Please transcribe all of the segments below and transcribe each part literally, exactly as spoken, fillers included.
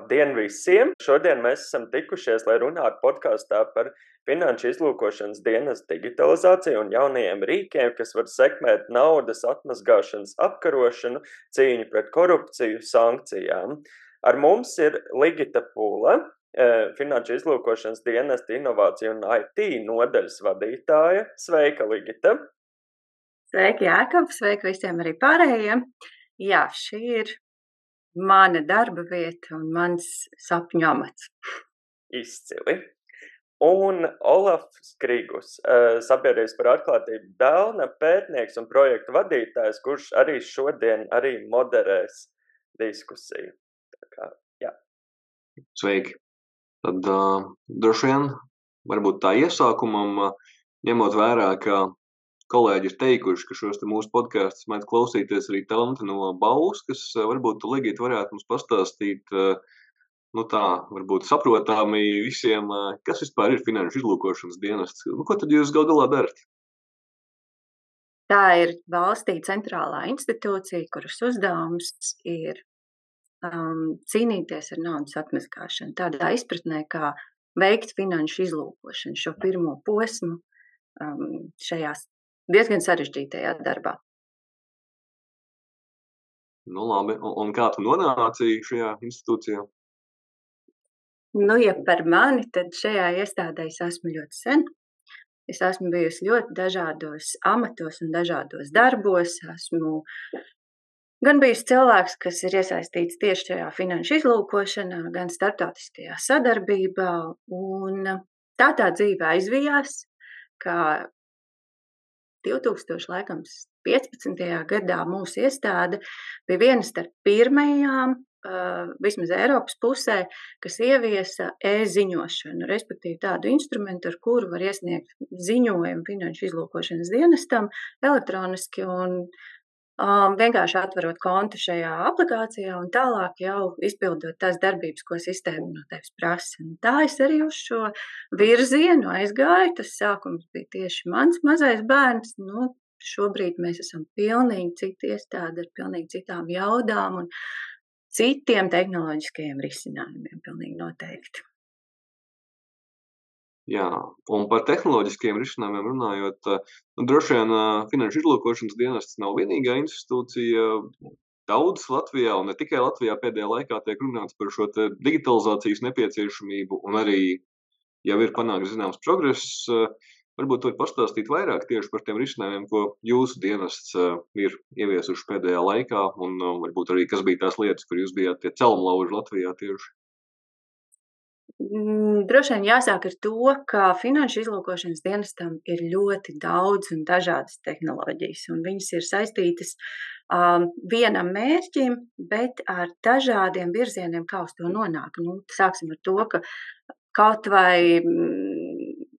Labdien visiem! Šodien mēs esam tikušies, lai runātu podkastā par finanšu izlūkošanas dienas digitalizāciju un jaunajiem rīkiem, kas var sekmēt naudas atmazgāšanas apkarošanu, cīņu pret korupciju, sankcijām. Ar mums ir Ligita Pūle, finanšu izlūkošanas dienesta inovāciju un I T nodaļas vadītāja. Sveika, Ligita! Sveiki, Jākab! Sveiki visiem arī pārējiem! Jā, šī ir mana darba vieta un mans sapņu amats. Izcili. Un Olafs Krigus, Sabiedrības par atklātību Belna pētnieks un projektu vadītājs, kurš arī šodien arī moderēs diskusiju. Tā kā, jā. Sveiki. Tad uh, droši vien, varbūt tā iesākumam, uh, ņemot vērā, ka kolēģi ir teikuši, ka šos te mūsu podkastus mēdz klausīties arī talanti no Bauskas, varbūt tu, Ligita, varētu mums pastāstīt, nu tā, varbūt saprotāmi visiem, kas vispār ir finanšu izlūkošanas dienests. Nu, ko tad jūs gal galā darat? Tā ir valstī centrālā institūcija, kuras uzdevums ir um, cīnīties ar naudas atmazgāšanu. Tādā izpratnē, kā veikt finanšu izlūkošanu, šo pirmo posmu um, šajās diezgan sarežģītajā darbā. Nu labi, un, un kā tu nonāci šajā institūcijā? Nu, ja par mani, tad šajā iestādē es esmu ļoti sen. Es esmu bijusi ļoti dažādos amatos un dažādos darbos. Esmu gan bijusi cilvēks, kas ir iesaistīts tieši šajā finanšu izlūkošanā, gan starptautiskajā sadarbībā. Un tā tā dzīve aizvijās, kā divtūkstoš piecpadsmitajā gadā mūsu iestāde bija viena starp pirmajām, uh, vismaz Eiropas pusē, kas ieviesa e-ziņošanu, respektīvi tādu instrumentu, ar kuru var iesniegt ziņojumu finanšu izlūkošanas dienestam elektroniski un um, vienkārši atverot kontu šajā aplikācijā un tālāk jau izpildot tās darbības, ko sistēma no tevis prasa. Un tā es arī uz šo virzienu aizgāju. Tas sākums bija tieši mans mazais bērns. Nu, šobrīd mēs esam pilnīgi citi iestādi ar pilnīgi citām jaudām un citiem tehnoloģiskajiem risinājumiem, pilnīgi noteikti. Jā, un par tehnoloģiskiem risinājumiem runājot, nu, droši vien finanšu izlūkošanas dienests nav vienīgā institūcija. Daudz Latvijā, un ne tikai Latvijā, pēdējā laikā tiek runāts par šo te digitalizācijas nepieciešamību, un arī jau ir panākts zināms progress. Varbūt var pastāstīt vairāk tieši par tiem risinājumiem, ko jūsu dienests ir ieviesuši pēdējā laikā, un varbūt arī kas bija tās lietas, kur jūs bijāt tie celmlauži Latvijā tieši. Droši vien jāsāk ar to, ka finanšu izlūkošanas dienestam ir ļoti daudz un dažādas tehnoloģijas, un viņas ir saistītas um, vienam mērķim, bet ar dažādiem virzieniem, kā uz to nonāk. Nu, sāksim ar to, ka kaut vai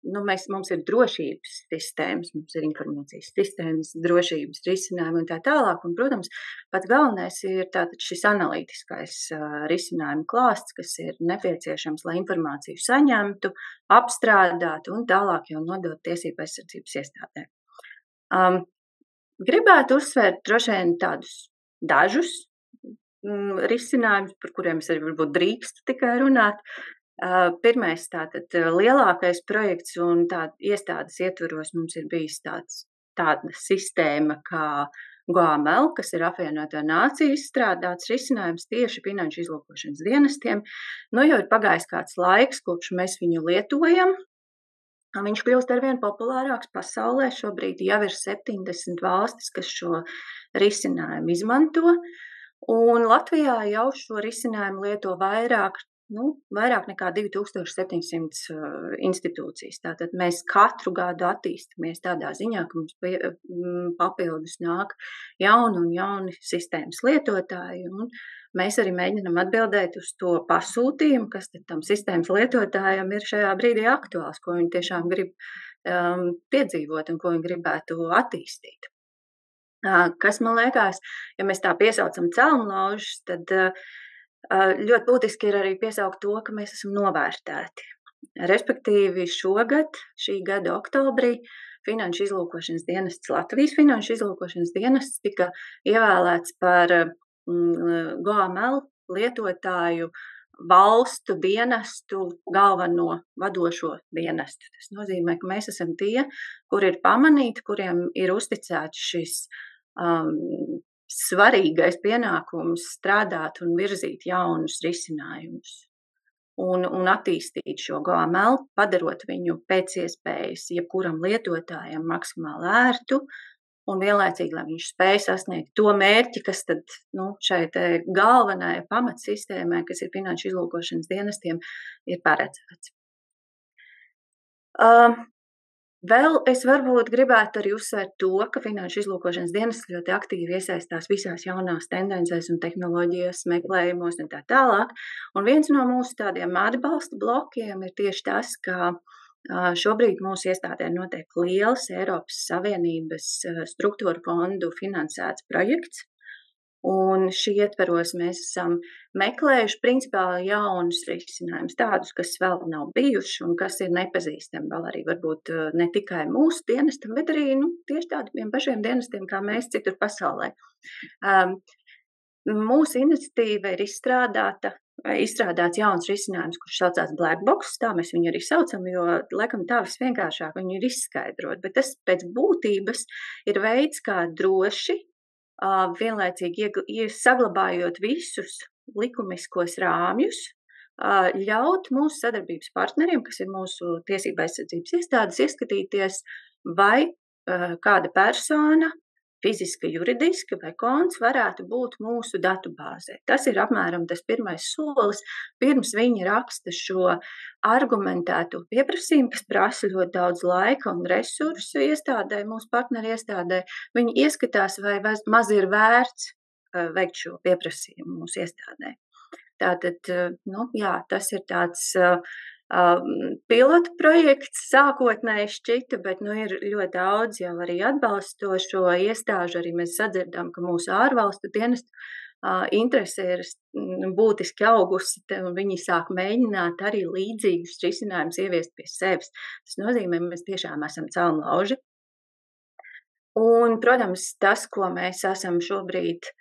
nu, mēs, mums ir drošības sistēmas, mums ir informācijas sistēmas, drošības risinājumi un tā tālāk. Un, protams, pats galvenais ir tātad šis analītiskais uh, risinājumu klāsts, kas ir nepieciešams, lai informāciju saņemtu, apstrādātu un tālāk jau nodot tiesību aizsardzības iestādēm. Um, gribētu uzsvērt droši vien tādus dažus mm, risinājumus, par kuriem es arī varbūt drīkstu tikai runāt. Uh, pirmais tātad lielākais projekts un tāda iestādes ietveros mums ir bijis tāds, tāda sistēma kā G A M L, kas ir apvienoto nāciju izstrādāts risinājums tieši finanšu izlūkošanas dienestiem. Nu, jau ir pagājis kāds laiks, kopš mēs viņu lietojam. Viņš kļūst arvien populārāks pasaulē. Šobrīd jau ir septiņdesmit valstis, kas šo risinājumu izmanto. Un Latvijā jau šo risinājumu lieto vairāk Nu, vairāk nekā divi tūkstoši septiņsimt uh, institūcijas. Tātad mēs katru gadu attīstamies tādā ziņā, ka mums pie, m, papildus nāk jauni un jauni sistēmas lietotāji. Un mēs arī mēģinam atbildēt uz to pasūtījumu, kas tad tam sistēmas lietotājam ir šajā brīdī aktuāls, ko viņi tiešām grib um, piedzīvot un ko viņi gribētu attīstīt. Uh, kas man liekas, ja mēs tā piesaucam celmlaužus, tad uh, ļoti būtiski ir arī piesaukt to, ka mēs esam novērtēti. Respektīvi šogad, šī gada oktobrī, Finanšu izlūkošanas dienests, Latvijas Finanšu izlūkošanas dienests tika ievēlēts par G A M L lietotāju valstu dienestu galveno vadošo dienestu. Tas nozīmē, ka mēs esam tie, kur ir pamanīti, kuriem ir uzticēts šis um, svarīgais pienākums strādāt un virzīt jaunus risinājumus. Un, un attīstīt šo G O A M L, padarot viņu pēc iespējas jebkuram lietotājam maksimāli ērtu un vienlaicīgi, lai viņš spēj sasniegt to mērķi, kas tad nu, šai te galvenai pamatsistēmai, kas ir finanšu izlūkošanas dienestiem, ir paredzēts. Uh, vēl es varbūt gribētu arī uzsvērt to, ka finanšu izlūkošanas dienesti ļoti aktīvi iesaistās visās jaunās tendencēs un tehnoloģijas meklējumos un tā tālāk. Un viens no mūsu tādiem atbalsta blokiem ir tieši tas, ka šobrīd mūsu iestādē notiek liels Eiropas Savienības struktūra fondu finansēts projekts, un šī ietveros mēs esam meklējuši principāli jaunus risinājumus, tādus, kas vēl nav bijuši un kas ir nepazīstami vēl arī varbūt ne tikai mūsu dienestam, bet arī nu, tieši tādiem pašiem dienestiem, kā mēs citur pasaulē. Um, mūsu iniciatīva ir izstrādāta izstrādāts jauns risinājums, kurš saucās Black Box, tā mēs viņu arī saucam, jo, laikam, tā visvienkāršāk viņu ir izskaidrot, bet tas pēc būtības ir veids, kā droši, vienlaicīgi saglabājot visus likumiskos rāmjus, ļaut mūsu sadarbības partneriem, kas ir mūsu tiesība aizsardzības iestādes, ieskatīties, vai kāda persona, fiziska, juridiska vai konts varētu būt mūsu datubāzē. Tas ir apmēram tas pirmais solis, pirms viņi raksta šo argumentēto pieprasījumu, kas prasa ļoti daudz laika un resursu iestādē, mūsu partneri iestādē. Viņi ieskatās, vai maz ir vērts veikt šo pieprasījumu mūsu iestādē. Tātad, nu, jā, tas ir tāds Um, pilotu projekts sākotnēji šķita, bet nu, ir ļoti daudz jau arī atbalstošo iestāžu. Arī mēs sadzirdam, ka mūsu ārvalstu dienestu uh, interese ir būtiski augusi, un viņi sāk mēģināt arī līdzīgus risinājumus ieviest pie sevis. Tas nozīmē, ka mēs tiešām esam celmlauži. Un, protams, tas, ko mēs esam šobrīd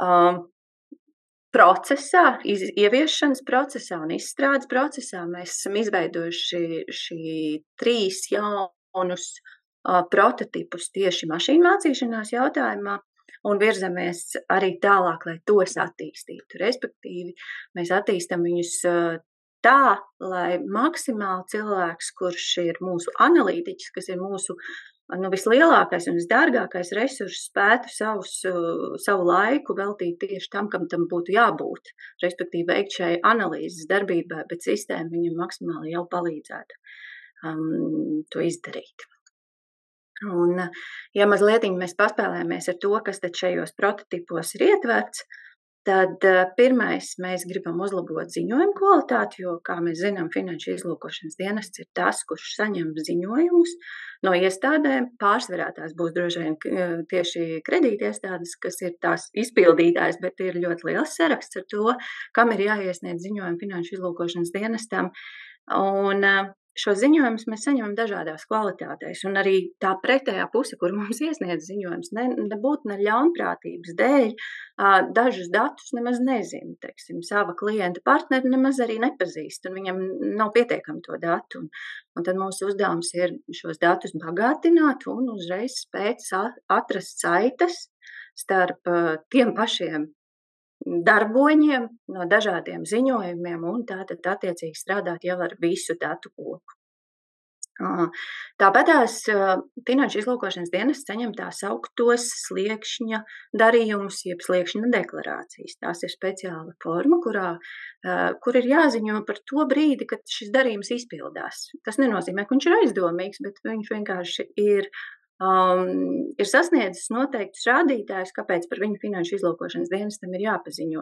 um, procesā, iz, ieviešanas procesā un izstrādes procesā, mēs esam izveidojuši šī trīs jaunus uh, prototipus tieši mašīnu mācīšanās jautājumā un virzamies arī tālāk, lai tos attīstītu. Respektīvi, mēs attīstam viņus uh, tā, lai maksimāli cilvēks, kurš ir mūsu analītiķis, kas ir mūsu nu, vislielākais un visdārgākais resurss, spētu savus, savu laiku veltīt tieši tam, kam tam būtu jābūt, respektīvi veikt šai analīzes darbībai, bet sistēma viņam maksimāli jau palīdzētu um, to izdarīt. Un, ja mazliet mēs paspēlējamies ar to, kas tad šajos prototipos ir ietverts, tad pirmais mēs gribam uzlabot ziņojumu kvalitāti, jo, kā mēs zinām, finanšu izlūkošanas dienests ir tas, kurš saņem ziņojumus no iestādēm. Pārsvarā tās būs droši vien tieši kredītiestādes, kas ir tās izpildītājs, bet ir ļoti liels saraksts ar to, kam ir jāiesniedz ziņojumi finanšu izlūkošanas dienestam. Un šo ziņojumus mēs saņemam dažādās kvalitātēs, un arī tā pretējā puse, kur mums iesniedz ziņojums, ne, nebūtu ne ļaunprātības dēļ, dažus datus nemaz nezinu, teiksim, sava klienta partneri nemaz arī nepazīst, un viņam nav pietiekami to datu, un, un tad mūsu uzdevums ir šos datus bagātināt un uzreiz spēt atrast saites starp tiem pašiem darboņiem no dažādiem ziņojumiem un tātad attiecīgi strādāt jau ar visu datu kopu. Tāpatās finanšu izlūkošanas dienests saņem tā sauktos sliekšņa darījumus, jeb sliekšņa deklarācijas. Tās ir speciāla forma, kurā, kur ir jāziņo par to brīdi, kad šis darījums izpildās. Tas nenozīmē, ka viņš ir aizdomīgs, bet viņš vienkārši ir Um, ir sasniedzis noteiktus rādītājus, kāpēc par viņu finanšu izlūkošanas dienestam ir jāpaziņo.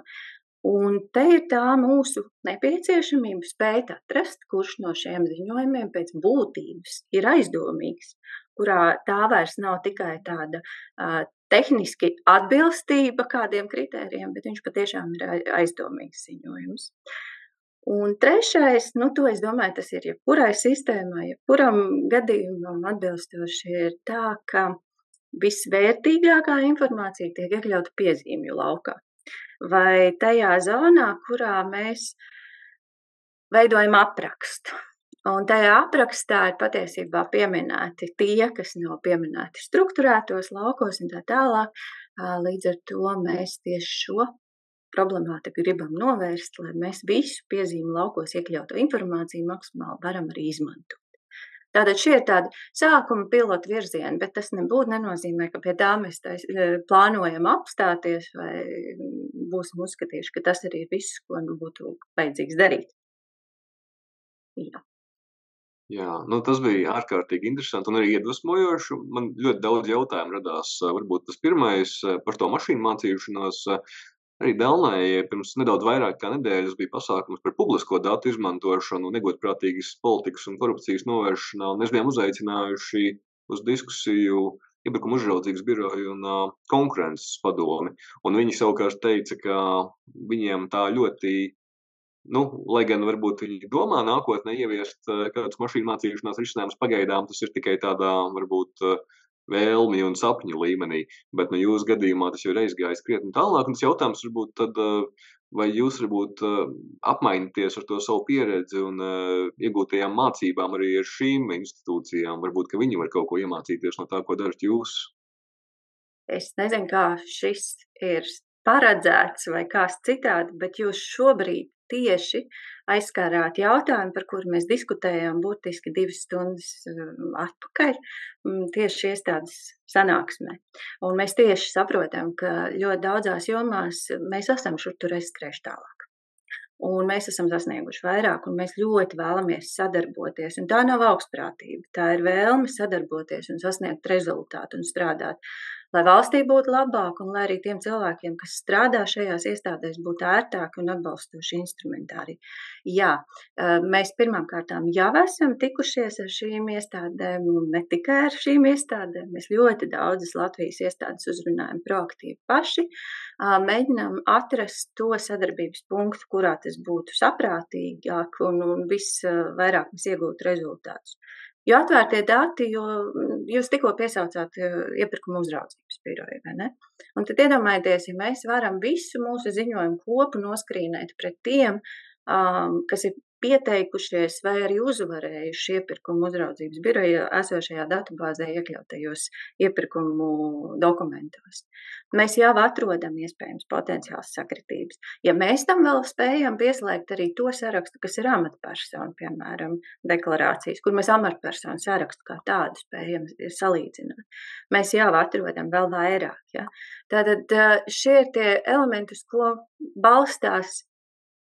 Un te ir tā mūsu nepieciešamība spēt atrast, kurš no šiem ziņojumiem pēc būtības ir aizdomīgs, kurā tā vairs nav tikai tāda uh, tehniski atbilstība kādiem kritērijiem, bet viņš patiešām ir aizdomīgs ziņojums. Un trešais, nu to es domāju, tas ir jebkurai sistēmai, jebkuram gadījumam atbilstoši ir tā, ka visvērtīgākā informācija tiek iekļauta piezīmju laukā. vai tajā zonā, kurā mēs veidojam aprakstu. Un tajā aprakstā ir patiesībā pieminēti tie, kas nav pieminēti strukturētos laukos un tā tālāk. Līdz ar to mēs tieši šo problemātiku gribam novērst, lai mēs visu piezīmu laukos iekļauto informāciju maksimāli varam arī izmantot. Tātad šie ir tādi sākuma pilotu virzieni, bet tas nebūtu nenozīmē, ka pie tā mēs tais, plānojam apstāties vai būsim uzskatījuši, ka tas arī ir viss, ko nu būtu vajadzīgs darīt. Jā. Jā, nu tas bija ārkārtīgi interesanti un arī iedvesmojoši. Man ļoti daudz jautājumu radās. Varbūt tas pirmais par to mašīnu mācīšanos. Arī Delnē pirms nedaudz vairāk kā nedēļas bija pasākums par publisko datu izmantošanu, negodprātīgas politikas un korupcijas novēršanā, un mēs bijām uzaicinājuši uz diskusiju Iepirkuma uzraudzības biroju un uh, konkurences padomi. Un viņi savukārt teica, ka viņiem tā ļoti, nu, lai gan varbūt viņi domā nākotnē ieviest uh, kādus mašīnu mācīšanās risinājumus pagaidām, tas ir tikai tādā varbūt uh, vēlmi un sapņu līmenī, bet no jūsu gadījumā tas jau ir aizgājis krietni tālāk, un tas jautājums varbūt tad, vai jūs varbūt apmaināties ar to savu pieredzi un iegūtajām mācībām arī ar šīm institūcijām, varbūt, ka viņi var kaut ko iemācīties no tā, ko darat jūs? Es nezinu, kā šis ir paredzēts vai kāds citādi, bet jūs šobrīd tieši aizskārāt jautājumu, par kuru mēs diskutējām burtiski divas stundas atpakaļ, tieši iestādes sanāksmē. Un mēs tieši saprotam, ka ļoti daudzās jomās mēs esam šur tur aizskrējuši tālāk. Un mēs esam sasnieguši vairāk, un mēs ļoti vēlamies sadarboties. Un tā nav augstprātība, tā ir vēlme sadarboties un sasniegt rezultātu un strādāt, lai valstī būtu labāk un lai arī tiem cilvēkiem, kas strādā šajās iestādēs, būtu ērtāki un atbalstoši instrumentāri. Jā, mēs pirmām kārtām jau esam tikušies ar šīm iestādēm, un ne tikai ar šīm iestādēm. Mēs ļoti daudzas Latvijas iestādes uzrunājam proaktīvi paši, mēģinām atrast to sadarbības punktu, kurā tas būtu saprātīgāk un, un visvairāk mēs iegūtu rezultātus. Jo atvērtie dati, jo jūs tikko piesaucāt iepirkuma uzraudzības biroju, vai ne? Un tad iedomājieties, ja mēs varam visu mūsu ziņojumu kopu noskrīnēt pret tiem, um, kas ir pieteikušies vai arī uzvarējuši iepirkuma uzraudzības biroja esošajā datubāzē iekļautajos iepirkumu dokumentos. Mēs jau atrodam iespējams potenciāls sakritības. Ja mēs tam vēl spējam pieslēgt arī to sarakstu, kas ir amatpersonu, piemēram, deklarācijas, kur mēs amatpersonu sarakstu kā tādu spējam salīdzināt, mēs jau atrodam vēl vairāk. Ja? Tātad šie ir tie elementi, uz ko balstās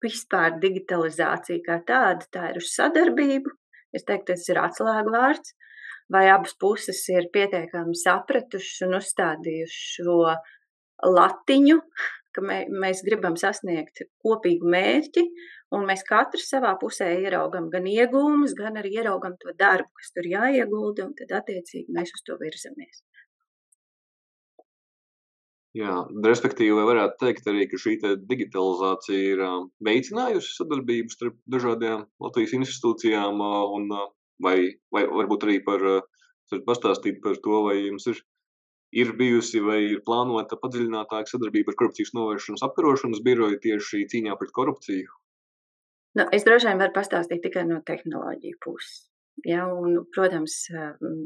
vispār digitalizācija kā tāda, tā ir uz sadarbību. Es teiktu, tas ir atslēgu vārds. Vai abas puses ir pietiekami sapratušas un uzstādījuši šo latiņu, ka mē, mēs gribam sasniegt kopīgu mērķi, un mēs katrs savā pusē ieraugam gan iegūmus, gan arī ieraugam to darbu, kas tur jāiegulda, un tad attiecīgi mēs uz to virzamies. Jā, respektīvi, vai varētu teikt arī, ka šī digitalizācija ir veicinājusi sadarbību starp dažādajām Latvijas institūcijām, un vai, vai varbūt arī par, pastāstīt par to, vai jums ir, ir bijusi vai ir plānota padziļinātāka sadarbība ar korupcijas novēršanas apkarošanas biroju tieši cīņā pret korupciju? Nu, es droši vien varu pastāstīt tikai no tehnoloģiju puses. Ja, un, protams,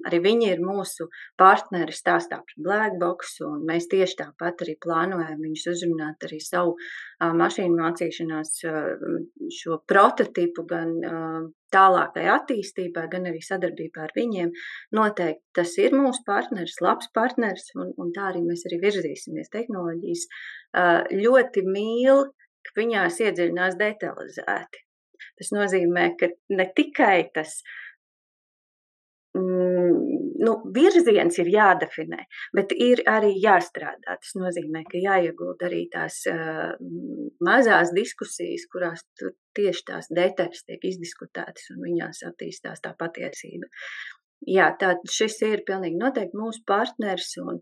arī viņi ir mūsu partneri stāstā par Blackbox, un mēs tieši tāpat arī plānojam viņus uzrunāt arī savu uh, mašīnu mācīšanās uh, šo prototipu gan uh, tālākai attīstībai, gan arī sadarbībā ar viņiem. Noteikti tas ir mūsu partneris, labs partneris, un, un tā arī mēs arī virzīsimies. Tehnoloģijas uh, ļoti mīl, ka viņās iedziļinās detalizēti. Tas nozīmē, ka ne tikai tas nu, virziens ir jādefinē, bet ir arī jāstrādā. Tas nozīmē, ka jāiegulda arī tās uh, mazās diskusijas, kurās tieši tās detaļas tiek izdiskutētas un viņās attīstās tā patiesība. Jā, tā šis ir pilnīgi noteikti mūsu partners un,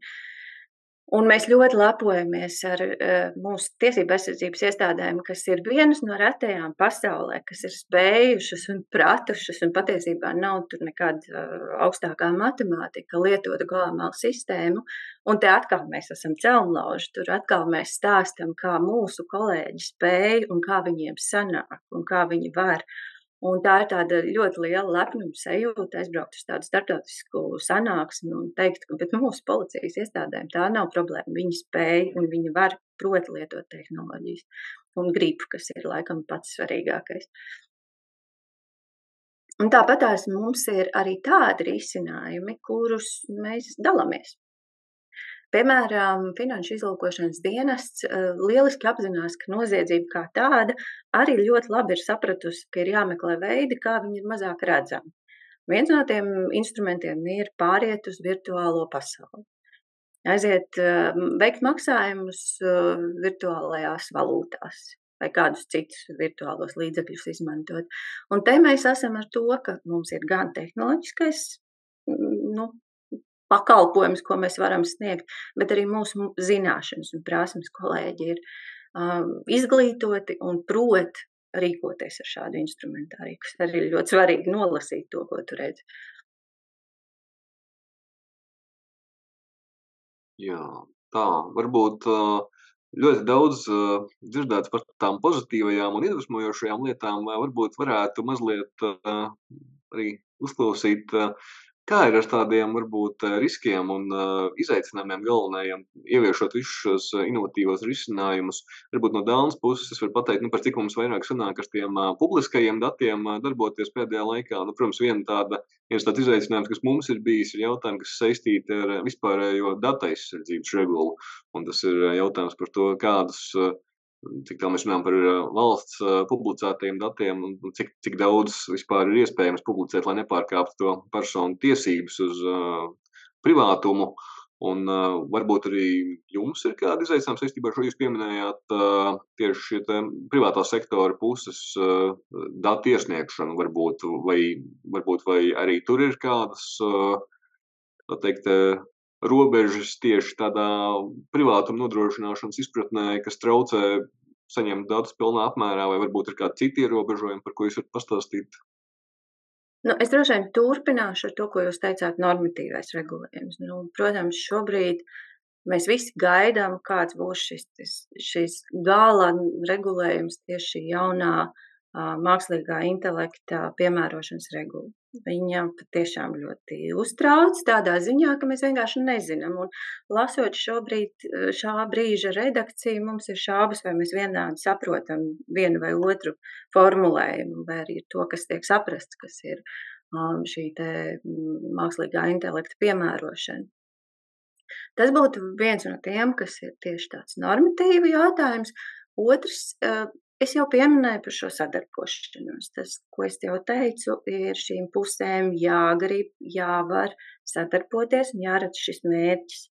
Un mēs ļoti lepojamies ar uh, mūsu tiesību aizsardzības iestādēm, kas ir vienas no retajām pasaulē, kas ir spējušas un pratušas, un patiesībā nav tur nekāda uh, augstākā matemātika, lietotu glābmālu sistēmu. Un te atkal mēs esam celmlauži, tur atkal mēs stāstam, kā mūsu kolēģi spēj un kā viņiem sanāk un kā viņi var. Un tā ir tāda ļoti liela lepnuma sajūta aizbraukt uz tādu starptautisku sanāksmi un teikt, ka bet mūsu policijas iestādēm tā nav problēma. Viņi spēj un viņi var proti lietot tehnoloģijas un grib, kas ir laikam pats svarīgākais. Un tāpatās mums ir arī tādi risinājumi, kurus mēs dalāmies. Piemēram, Finanšu izlūkošanas dienests uh, lieliski apzinās, ka noziedzība kā tāda arī ļoti labi ir sapratusi, ka ir jāmeklē veidi, kā viņi ir mazāk redzami. Viens no tiem instrumentiem ir pāriet uz virtuālo pasauli. Aiziet uh, veikt maksājumus uh, virtuālajās valūtās vai kādus citus virtuālos līdzekļus izmantot. Un te mēs esam ar to, ka mums ir gan tehnoloģiskais, nu, pakalpojums, ko mēs varam sniegt, bet arī mūsu zināšanas un prasmes kolēģi ir um, izglītoti un prot rīkoties ar šādu instrumentāriju, kas arī ir ļoti svarīgi nolasīt to, ko tu redzi. Jā, tā, varbūt ļoti daudz dzirdēts par tām pozitīvajām un iedvesmojošajām lietām, varbūt varētu mazliet arī uzklausīt, kā ir ar tādiem varbūt riskiem un izaicinājumiem galvenajiem, ieviešot visus šos inovatīvos risinājumus. Varbūt no Dānas puses es varu pateikt, nu, par cik mums vairāk sanāk ar tiem publiskajiem datiem darboties pēdējā laikā. Nu, protams, viena tāda, viens tāds izaicinājums, kas mums ir bijis, ir jautājumi, kas saistīti ar vispārējo datu aizsardzības regulu. Un tas ir jautājums par to, kādus, cik tā mēs runājam par valsts publicētajiem datiem un cik, cik daudz vispār ir iespējams publicēt, lai nepārkāptu to personu tiesības uz uh, privātumu. Un uh, varbūt arī jums ir kādi izaicinājumi saistībā ar šo, jūs pieminējāt uh, tieši šie privātā sektora puses uh, datu iesniegšanu varbūt, vai, varbūt, vai arī tur ir kādas, uh, tā teikt, uh, robežas tieši tādā privātuma nodrošināšanas izpratnē, kas traucē saņemt datus pilnā apmērā, vai varbūt ir kādi citi ierobežojumi, par ko jūs varat pastāstīt? Nu, es droši vien turpināšu ar to, ko jūs teicāt, normatīvais regulējums. Nu, protams, šobrīd mēs visi gaidām, kāds būs šis, šis gala regulējums tieši šī jaunā uh, mākslīgā intelekta piemērošanas regula. Viņa patiešām ļoti uztrauc tādā ziņā, ka mēs vienkārši nezinām. Un lasot šobrīd šā brīža redakciju, mums ir šaubas, vai mēs vienādi saprotam vienu vai otru formulējumu, vai arī to, kas tiek saprasts, kas ir um, šī te mākslīgā intelekta piemērošana. Tas būtu viens no tiem, kas ir tieši tāds normatīvi jautājums. Otrs, uh, es jau pieminēju par šo sadarbošanos. Tas, ko es jau teicu, ir šīm pusēm jāgrib, jāvar sadarboties un jāredz šis mērķis.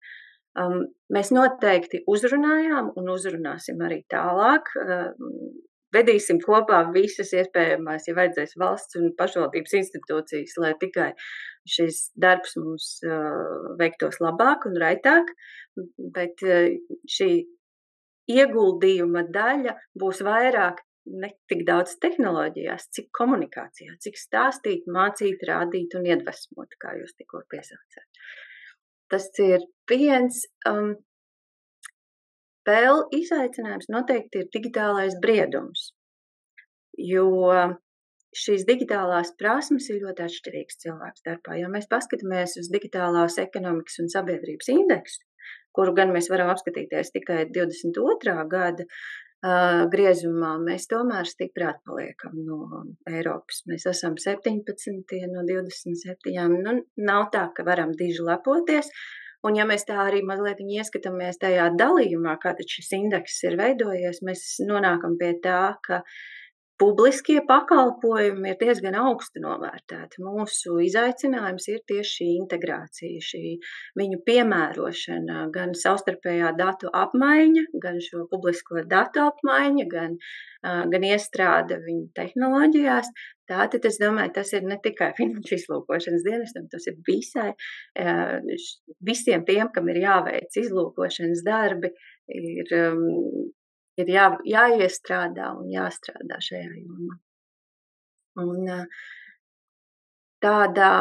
Um, mēs noteikti uzrunājām un uzrunāsim arī tālāk. Um, vedīsim kopā visas iespējamās, ja vajadzēs valsts un pašvaldības institūcijas, lai tikai šis darbs mums uh, veiktos labāk un raitāk. Bet uh, šī ieguldījuma daļa būs vairāk ne tik daudz tehnoloģijās, cik komunikācijā, cik stāstīt, mācīt, rādīt un iedvesmot, kā jūs tikko piesaucāt. Tas ir viens. Um, vēl izaicinājums noteikti ir digitālais briedums, jo šīs digitālās prasmes ir ļoti atšķirīgas cilvēku starpā. Ja mēs paskatāmies uz digitālās ekonomikas un sabiedrības indeksu, kuru gan mēs varam apskatīties tikai divdesmit otrā gada uh, griezumā, mēs tomēr stipri atpaliekam no Eiropas. Mēs esam septiņpadsmitie no divdesmit septiņām. Nu, nav tā, ka varam diži lepoties. Un ja mēs tā arī mazliet ieskatāmies tajā dalījumā, kā tad šis indeks ir veidojies, mēs nonākam pie tā, ka publiskie pakalpojumi ir diezgan augstu novērtēti. Mūsu izaicinājums ir tieši šī integrācija, šī viņu piemērošana, gan savstarpējā datu apmaiņa, gan šo publisko datu apmaiņa, gan, uh, gan iestrāde viņu tehnoloģijās. Tātad es domāju, tas ir ne tikai finanšu izlūkošanas dienestam, tas ir visai, uh, visiem tiem, kam ir jāveic izlūkošanas darbi, ir um, ir jā, jāiestrādā un jāstrādā šajā jomā. Un tādā,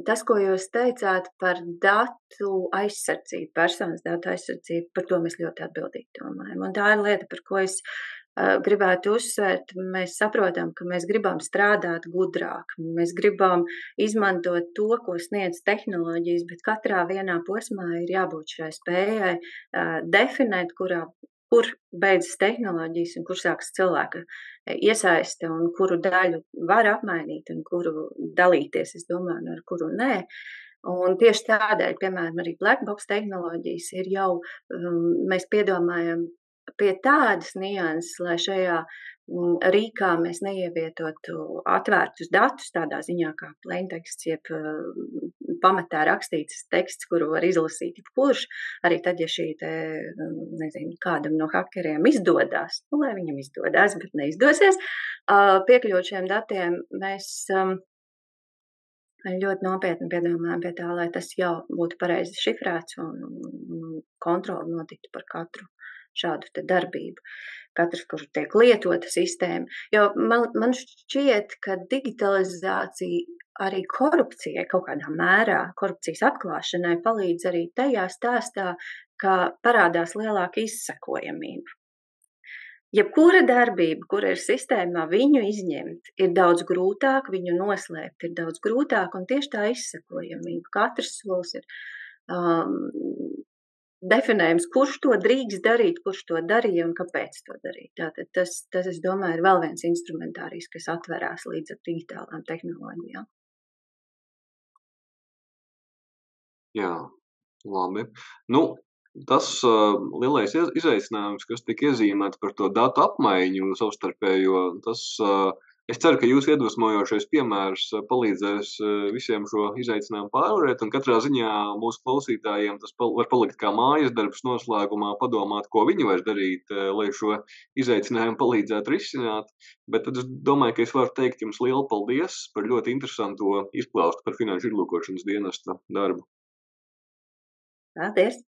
tas, ko jūs teicāt par datu aizsardzību, personas datu aizsardzību, par to mēs ļoti atbildīgi domājam. Un tā ir lieta, par ko es uh, gribētu uzsvērt. Mēs saprotam, ka mēs gribam strādāt gudrāk, mēs gribam izmantot to, ko sniedz tehnoloģijas, bet katrā vienā posmā ir jābūt šai spējai uh, definēt, kurā kur beidzas tehnoloģijas un kur sākas cilvēka iesaiste un kuru daļu var apmainīt un kuru dalīties, es domāju, ar kuru nē. Un tieši tādēļ, piemēram, arī black box tehnoloģijas ir jau, um, mēs piedomājam pie tādas nianses, lai šajā um, rīkā mēs neievietotu atvērtus datus tādā ziņā kā plainteksts, jeb uh, pamatā rakstīts teksts, kuru var izlasīt jebkurš, arī tad, ja šī te, nezinu, kādam no hakeriem izdodās, nu, lai viņam izdodās, bet neizdosies, uh, piekļūt šiem datiem, mēs um, ļoti nopietni piedomājam pie tā, lai tas jau būtu pareizi šifrēts un, un kontroli notiktu par katru šādu te darbību, katrs, kurš tiek lietota sistēma. Jo man, man šķiet, ka digitalizācija arī korupcijai kaut kādā mērā, korupcijas atklāšanai palīdz arī tajā stāstā, ka parādās lielāka izsekojamība. Jebkura darbība, kura ir sistēmā, viņu izņemt ir daudz grūtāk, viņu noslēpt ir daudz grūtāk, un tieši tā izsekojamība. Katrs solis ir um, definējums, kurš to drīkst darīt, kurš to darīja un kāpēc to darīt. Tātad tas, tas, es domāju, ir vēl viens instrumentārijs, kas atverās līdz ar digitālām tehnoloģijām. Jā, labi. Nu, tas uh, lielais izaicinājums, kas tika iezīmēts par to datu apmaiņu savstarpējo, tas, uh, es ceru, ka jūs iedvesmojošais piemērs uh, palīdzēs uh, visiem šo izaicinājumu pārvarēt, un katrā ziņā mūsu klausītājiem tas pal- var palikt kā mājas darbs noslēgumā padomāt, ko viņi var darīt, uh, lai šo izaicinājumu palīdzētu risināt. Bet tad es domāju, ka es varu teikt jums lielu paldies par ļoti interesanto izklāstu par finanšu izlūkošanas dienesta darbu. Paldies!